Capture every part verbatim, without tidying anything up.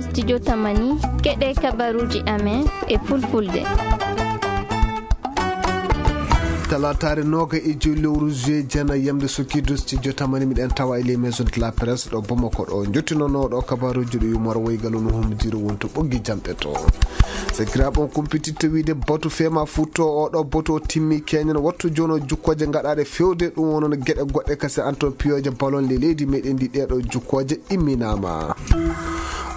Studio Tamani, keɗe kabaruuji amen e fulfulde. Talaataare nooga e joyi lewru juillet, jana yamde sokkiidu, Studio Tamani miɗen tawa e les maisons de la presse ɗo Bamako ɗo. Jottinooɗo kabaruuji ɗo yumor woygal no hommodiro wonto ɓoggi jamɗe to. Sakiraaɓe, on kumpititta wiide batu fema futto o ɗo batu o timmi keñen wattu jono jukkooje gaɗaaɗe fewde ɗum wonon geɗe goɗɗe kasi anton piyoje balon le leydi meɗen ndi ɗeɗo jukkooje imminaama.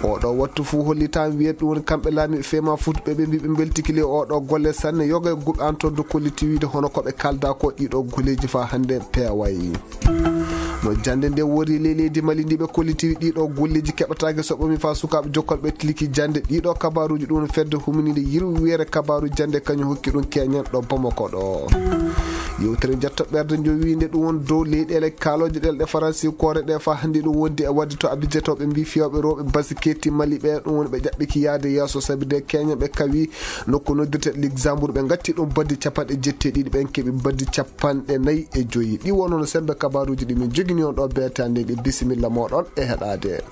Oɗo wattu fuu hollitan wiyat ɗum woni kamɓe laamiiɓe fema futɓe ɓe mbi ɓe mbeltiki le oɗo golle sanne yoga e guɓe anton do kolliti wiide hono ko ɓe kalda ko ɗiɗo golleji fa hannde peeway. No jannde nde wori ley leydi Mali ndi ɓe kolliti ɗiɗo golleji keɓataake so ɓomi fa sukaaɓe jokkolɓe tiliki jannde ɗiɗo kabaruuji ɗum fedde huminide yirwere kabaru jannde kañum hokki ɗum keñen ɗo Bamako ɗo. Yewtere jatto ɓerde jowiinde ɗum won dow leyɗeele kaalooje ɗelɗe faransi koore ɗe fa hannde ɗum wondi e wadde to abijetoɓe mbi fiyooɓe rewɓe basiketi Mali ɓe ɗum woni ɓe ƴaɓɓiki yaade yeeso sabi de keñen ɓe kawi nokku noddirte Luxembourg ɓe gatti ɗum baddi capanɗe jetti e ɗiɗi ɓen keɓi baddi capanɗe nayi e joyi ɗi wonono sembe kabaruuji ɗi min jogini on ɗo beetande ɗi bisimilla moɗon e heɗade.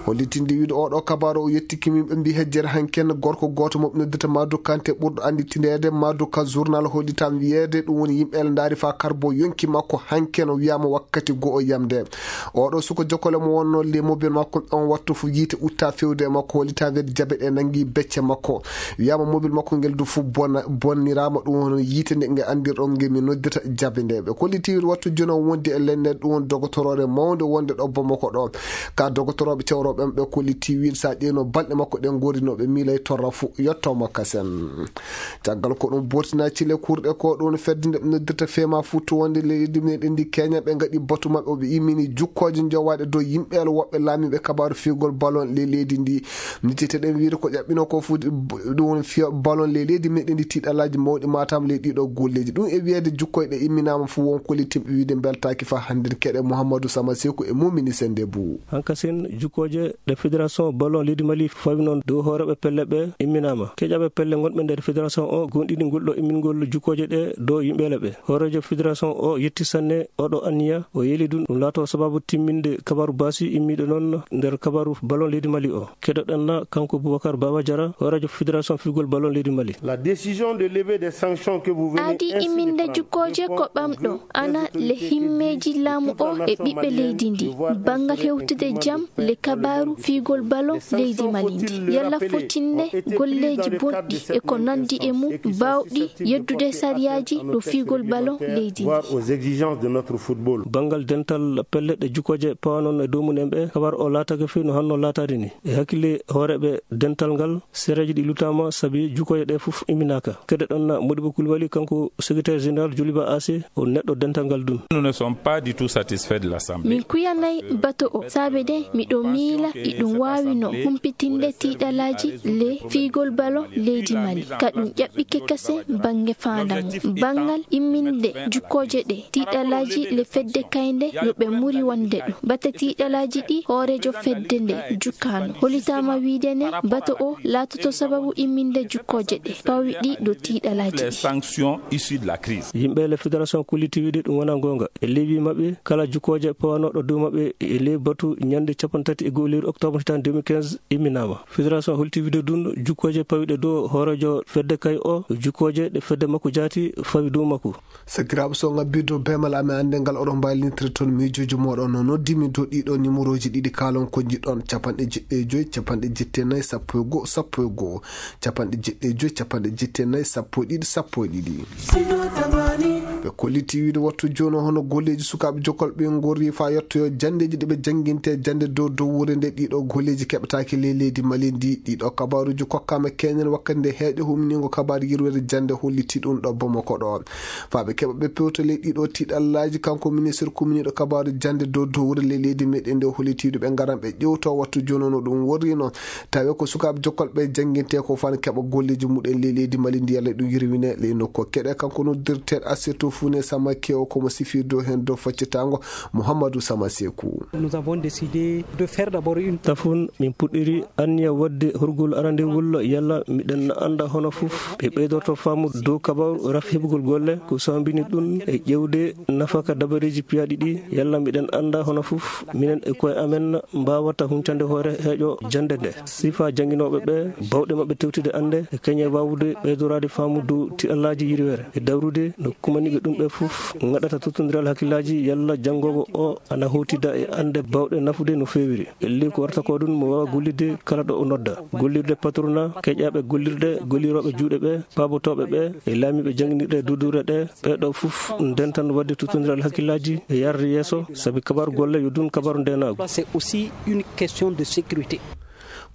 Hollitinde wiide oɗo kabaru o yettiki min ɓe mbi hejjere hanken gorko gooto mo ɓe noddata Madou Kanté ɓurɗo annditineede Madou Ka journal hollitam wiyeede ɗum woni yimɓe ele ndaari fa karbo yonki makko hanken o wiyama wakkati goo yamde. Oɗo suko jokkole mo wonno le mobile makko on wattu fu yiite utta fewde e makko hollitam wiyeede jabe ɗe nangi becce makko wiyama mobile makko ngel du fu bona bonnirama ɗum woni yiite nde nge anndirɗon nge mi noddata jabe nde ɓe kolliti wattu jono wondi e lenne ɗum woni dogotoroore mawnde wonde ɗo Bamako ɗo. Ka dogotoroɓe cewroɓe ɓe kolliti wiide sa ƴeewno balɗe makko ɗen gori no ɓe miilay torra fu yettomo kasen. Caggal ko ɗum bortina cile kurɗe ko ɗum fedde nde ɓe noddirta fema futtu wonde leydi meɗen ndi keña ɓe gaɗi batu maɓɓe o ɓe immini jukkooje jowaɗe dow yimɓe ala woɓɓe laamiiɓe kabaru figol balon le leydi ndi. Nitete ɗen wiide ko ƴaɓɓino ko fu ɗum woni fiya balon le leydi meɗen ndi tiɗalaji mawɗi matam le ɗiɗo golleji ɗum e wiyeede jukkoyɗe imminama fu won kollitimɓe wiide beltaki fa hannde keɗe Mouhamadou Sama Seku e Moumini Sendebou. Hankasin jukkooje ɗe fédération ballon leydi Mali fawi noon dow hooreeɓe pelle ɓe imminaama. Keƴaaɓe pelle ngonɓe nder fédération o goonɗini ngol ɗo immingol jukkooje ɗe dow yimɓeele ɓe. Hooreejo fédération o yetti sanne oɗo anniya o yeeli ɗum ɗum laato sababu timminde kabaru baasi immiiɗo noon nder kabaru ballon leydi Mali o. Keɗoɗen na kanko Boubacar Baba Diarra hooreejo fédération figol ballon leydi Mali. La décision de lever des sanctions que vous venez aadi ainsi de imminde prendre jukkooje ko ɓamɗo ana le himmeeji laamu o e ɓiɓɓe leydi ndi banngal hewtude jam le kabaaru fiigol balo leydi Mali ndi yalla fotinne golleeji bonɗi e ko nanndi e mum baawɗi yeddude sariyaaji ɗo fiigol balo leydi ndi. Aux exigences de notre football. Banngal dental pelle ɗe jukkooje pawanon e dow mum en ɓe kabar o laatake fii no hanno laataade ni e hakkille hooreeɓe dental ngal sereeji ɗi lutaama sabi jukkooje ɗe fof imminaaka. Kede ɗon na Modibo Koulibaly kanko secrétaire général Joliba A C o neɗɗo dental ngal dun. Nous ne sommes pas du tout satisfaits de l'Assemblée. Min kuyanay bato o saabe de miɗo miila iɗum waawino humpitinde tiiɗalaaji le fiigol balo leydi Mali ka ɗum ƴaɓɓike kase bannge faandamu banngal imminde jukkooje ɗe tiiɗalaaji le fedde kaynde yo ɓe muri wonde ɗo bate tiiɗalaaji ɗi hooreejo fedde nde jukkaano hollitaama wiide ne bato o laatoto sababu imminde jukkooje ɗe pawi ɗi ɗo tiiɗalaaji ɗi. Sanctions issues de la crise. Yimɓe le fédération kolliti wiide ɗum wona goonga e leewi maɓɓe kala jukkooje pawanooɗo dow maɓɓe e ley batu ñande capanɗe tati e go'o lewru octobre hitan deux mille quinze imminaama. Fédération holti wiide ɗum jukkooje pawiɗe dow hooreejo fedde kay o jukkooje ɗe fedde makko jaati fawi dow makko. Sakiraaɓe so ngabbirde beemal amen annde ngal oɗon mbaylintira toon miijooji mooɗon no noddimi dow ɗiɗo numéroji ɗiɗi kaalon ko jiɗɗon capanɗe jeɗɗi e joyi capanɗe jetti e nayi sappo e go'o sappo e go'o capanɗe jeɗɗi e joyi capanɗe jetti e nayi sappo e ɗiɗi sappo e ɗiɗi. Ɓe kolliti wiide wattu jooni hono golleeji sukaaɓe jokkol ɓe ngorri faa yettoyo janndeeji ɗi ɓe jannginte jannde dow dowwure nde ɗiɗo golleeji keɓataake ley leydi Mali ndi ɗiɗo kabaaruuji kokkaama keñen wakkati nde heeƴo humniingo kabaar yirwere jannde holliti ɗum ɗo Bamako ɗo. Faa ɓe keɓa ɓe pewta ley ɗiɗo tiiɗallaaji, kanko ministre kumniiɗo kabaaru jannde dow dowre ley leydi meɗen nde hollitiiɗo ɓe ngaran ɓe ƴewto wattu jooni no ɗum worrino. Tawi ko sukaaɓe jokkol ɓe jannginte ko faan keɓa golleeji muɗen ley leydi Mali ndi yalla ɗum yirwine ley nokku keɗe kanko noddirteeɗo Assirtu Fune Samake o, ko mo sifii dow heen dow faccitaango, Mouhamadou Sama Sekou. Nous avons décidé de faire d'abord une Tafun, min puɗɗiri anniya waɗde horgol arandewol, yalla miɗen annda hono fof ɓe ɓeydorto faamu dow kabaru rafi heɓugol golle, ko sambini ɗum e ƴewde nafaka dabareeji piyaaɗi ɗi, yalla miɗen annda hono fof minen e koye amen mbaawata huncande hoore heeƴo jannde nde. Sifa jannginooɓe ɓe, bawɗe maɓɓe tewtude annde e keñe waawude ɓeydoraade faamu dow tiɗallaaji yirwere e dawrude no kumaniiɓe ɗum ɓe fof ngaɗata tottondiral hakkillaaji yalla janngoowo o ana howtida e annde bawɗe nafude no feewiri. Elli ko warata ko ɗum mo waawa gollidde kala ɗo o nodda. Gollirde patrona, keƴaaɓe gollirɗe, gollirooɓe juuɗe ɓe, paabotooɓe ɓe, e laamiiɓe jannginirɗe duuduure ɗe, ɓee ɗo fof ndentan waɗde tottondiral hakkillaaji e yarde yeeso, sabi kabaru golle yo ɗum kabaru ndeenaagu. C'est aussi une question de sécurité.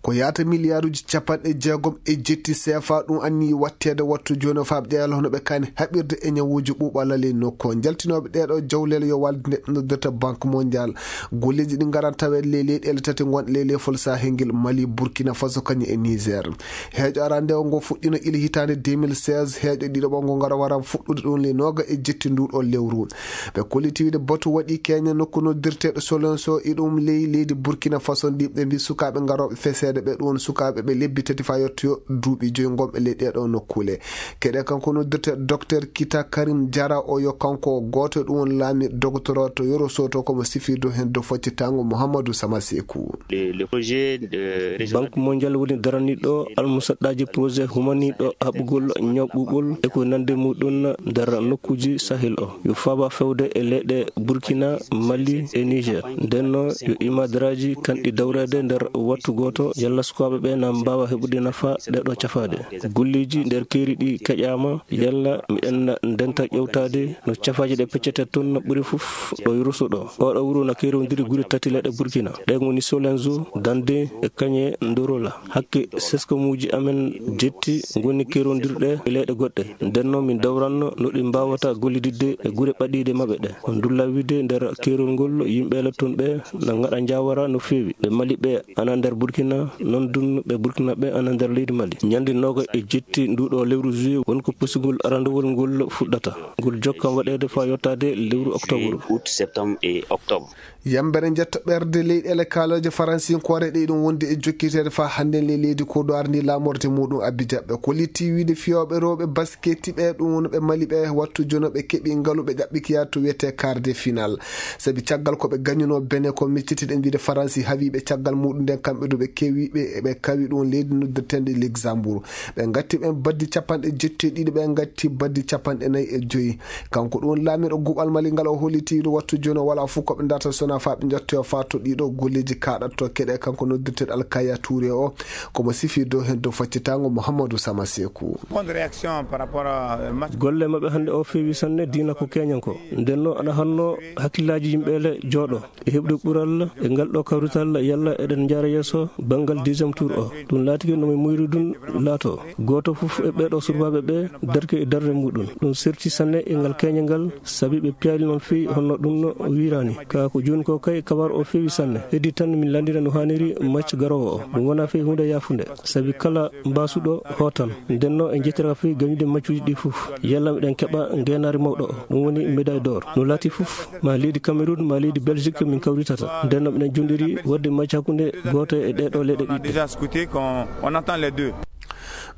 Ko yaata miliyaaruuji capanɗe jeegom e jetti seefa ɗum anniyi watteede wattu jooni o faaɓe ƴeewal hono ɓe kaani haɓirde e ñawuuji ɓuuɓalal e nokku o. Njaltinooɓe ɗeeɗo jawleele yo walde nde noddirta Banque Mondiale. Golleeji ɗi ngaran taweede ley leyɗeele tati ngonɗe ley leyfol Sahel ngel, Mali, Burkina Faso, kañum e Niger. Heeƴo arandewo ngo fuɗɗino ila hitaande deux mille seize, heeƴo ɗiɗaɓo ngo ngara wara fuɗɗude ɗum ley nooga e jetti nduɗo lewru. Ɓe kolliti wiide batu waɗi keña nokku noddirteeɗo Solenso, e ɗum ley leydi Burkina Faso ndi. Ɓe mbi sukaaɓe ngarooɓe feseede ɓe, ɗum woni sukaaɓe ɓe lebbi tati faa yottoyo duuɓi joyi ngonɓe ley ɗeeɗo nokkuule. Keɗe kanko noddirteeɗo Docteur Kita Karim Jara o, yo kanko o gooto e ɗum woni laami dogotoro to Yoro Soto, ko mo sifirdo heen dow foccitaango Mouhamadou Sama Sekou. Le, le projet de région Banque Mondiale woni daraniiɗo almusaɗɗaaji projet humaniiɗo haɓugol ñaw ɓuuɓol e ko nande muɗum nder nokkuuji Sahel o. Yo faaba fewde e leyɗe Burkina, Mali e Niger. Nden noon yo imadaraaji kanɗi dawreede nder wattu gooto, yalla sukaaɓe ɓe na mbaawa heɓude nafa ɗeeɗo cafaade. Golleeji nder keeri ɗi keƴaama, yalla miɗen ndenta ƴewtaade no cafaaji ɗe peccete toon ɓuri fof ɗo Yoro Soto. Oɗo wuro na keerondiri gure tati leyɗe Burkina. Ɗe ngoni Solenzo, Dande e kañe Ndorola. Hakke seskomuuji amen jetti ngoni keerondirɗe e leyɗe goɗɗe. Nden noon min dawranno no ɗi mbaawata gollididde e gure ɓadiiɗe maɓɓe ɗe. On ndulla wiide nder keerol ngol yimɓe le toon ɓe na ngaɗa njaawara no feewi. Ɓe Mali ɓe ana nder Burkina, noon dun ɓe Burkina ɓe ana nder leydi Mali. Ñande nooga e jetti nduɗo lewru juillet won ko pusugol arandewol ngol fuɗɗata. Ngol jokkan waɗeede faa yottaade lewru octobre. Août, septembre et octobre. Yambere jetta ɓerde leyɗeele kaalooje faransinkoore ɗe ɗum wonde e jokkiteede faa hannden ley leydi Côte d'Ivoire ndi laamorde muɗum Abidjan. Ɓe kolliti wiide fiyooɓe rewɓe basketi ɓe ɗum woni ɓe Mali ɓe wattu jono ɓe keɓi ngalu ɓe ƴaɓɓikiyaa to wiyetee quart de finale. Sabi caggal ko ɓe gañunoo Benin ko miccitiɗen wiide Faransi hawii ɓe caggal muɗum nden kamɓe du ɓe kewi ɓe, ɓe kawi ɗum leydi noddirteende Luxembourg. Ɓe ngatti ɓen baddi capanɗe jetti e ɗiɗi, ɓe ngatti baddi capanɗe nayi e joyi. Kanko ɗum woni laamiiɗo guɓal Mali ngal o holliti ɗo wattu jooni o wala fof ko ɓe darta sona faa ɓe jottoyo faa to ɗiɗo golleeji kaaɗatto keɗe kanko noddirteeɗo Alkaya Touré o. Ko mo sifi dow heen dow faccitaango Mouhamadou Sama Sekou. Bonne réaction par rapport à, euh, match. Golle maɓɓe hannde o feewi sanne diina ko keñanko. Nden noon aɗa hanno hakkillaaji yimɓe le jooɗo. E heɓde ɓural e ngal ɗo kawrital yalla eɗen njaara yeeso banngal deuxième tour o. Ɗum laatike no mi muyri ɗum laato. Gooto fof e ɓeeɗo surbaaɓe ɓe darke e darnde muɗum. Ɗum serti sanne e ngal keñe ngal, sabi ɓe piyaali noon feewi honno ɗum no wiiraani. Kaa ko jooni ko kay kabar o feewi sanne. Heddi tan min lanndira no haaniri match garoowo o. Ɗum wonaa feewi huunde yaafunde. Sabi kala mbaasuɗo hootan. Nden noon en njettiraka feewi gañude maccuuji ɗi fof. Yalla miɗen keɓa ngeenaari mawɗo o. Ɗum woni médaille d'or. No laati fof, ma leydi Cameroun, ma leydi Belgique min kawritata. Nden noon miɗen jonɗiri waɗde macca hakkunde gooto e ɗee ɗoo leyɗe ɗiɗi. On a déjà scouté qu'on, on attend les deux.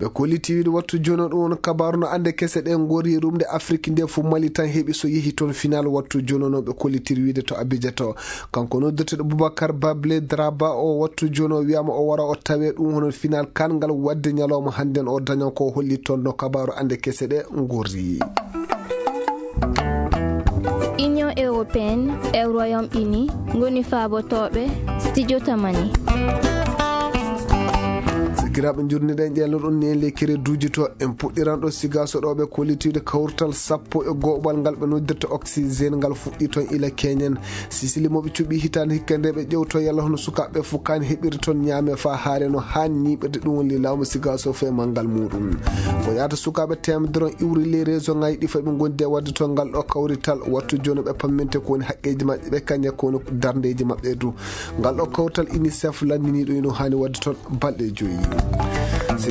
Ɓe kolliti wiide wattu jono ɗum woni kabaru no annde kese ɗe ngori rumde Afrique nde fof Mali tan heɓi so yehi toon final wattu jono no ɓe kollitiri wiide to Abidjan to. Kanko noddirteeɗo Boubacar Bable Draba o wattu jono wiyama o wara o tawe ɗum hono final kan ngal wadde ñalawma hannden o dañan ko holli toon no kabaru annde kese ɗe ngori. Union européenne e Royaume-Uni ngoni faabotooɓe Studio Tamani. Sakiraaɓe, njurniɗen ƴeelno ɗon ni en ley kereduuji to en puɗɗiran ɗo Sigaso ɗo ɓe kollitiiɗo kawrital sappo e go'oɓal ngal ɓe noddirta oxygène ngal fuɗɗi toon ila keñen. Sisili mo ɓe cuɓi hitaande hikka nde ɓe ƴewto yalla hono sukaaɓe fof kaan heɓiri toon ñaame faa haare no haan ñiiɓirde ɗum woni laamu Sigaso fee manngal muɗum. Ko yaata sukaaɓe teemedere on iwri ley réseau ŋaaji ɗi fay ɓe ngondi e waɗde toon ngal ɗo kawrital wattu jooni ɓe pamminte ko woni haqqeeji maɓɓe ɓe kañe ko woni darndeeji maɓɓe du. Ngal ɗo kawrital UNICEF lanndiniiɗo ino haani waɗde toon balɗe joyi.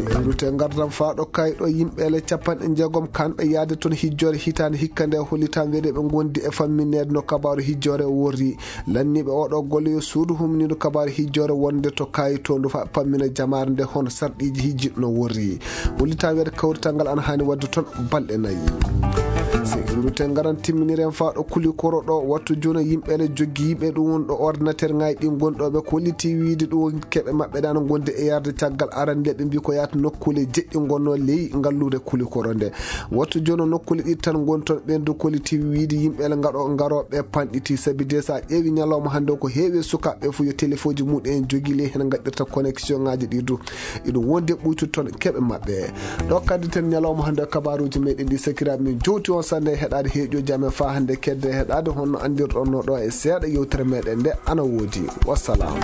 Rute ngardam faaɗo kayɗo yimɓe le capanɗe jeegom kanɓe yaade toon hijjoore hitaande hikka nde hollitaan weeɗe ɓe ngondi e fammineede no kabaaru hijjoore worri. Lanniiɓe oɗo golle yo suudu humniiɗo kabaaru hijjoore wonde to kayitoondu fa pammina jamaare nde hono sarɗiiji hijjiɗi no worri. Hollitaan weeɗe kawrital ngal ana haani waɗde toon balɗe nayi. Rute ngaran timminiren faaɗo kuli koro ɗo wattu jono yimɓe le joggiiɓe ɗum won ɗo ordinateur ŋaaji ɗi gonɗoɓe kolliti wiide ɗum won keɓe maɓɓe ɗan gonde e yarde caggal arande ɓe mbi ko yaata nokkule jeɗɗi gonno ley ngalluure kuli koro nde. Wattu jono nokkule ɗi tan gon toon ɓen du kolliti wiide yimɓe le ngaɗo ngaroɓe panɗiti sabi de sa ƴeewi ñalawma hannde ko heewi sukaɓe fof yo téléfoji muɗen jogi ley hen gaɗɗirta connexion ngaji ɗi du. Iɗum wonde ɓuytu toon keɓe maɓɓe. Ɗo kaddi ten ñalawma hannde kabaruji meɗen ɗi sakiraɓe min jowti on sande e heɗade heeƴoji amen fa hannde kedde heɗade honno andirɗon no ɗo e seeɗa yewtere meɗen nde ana woodi. Wassalam.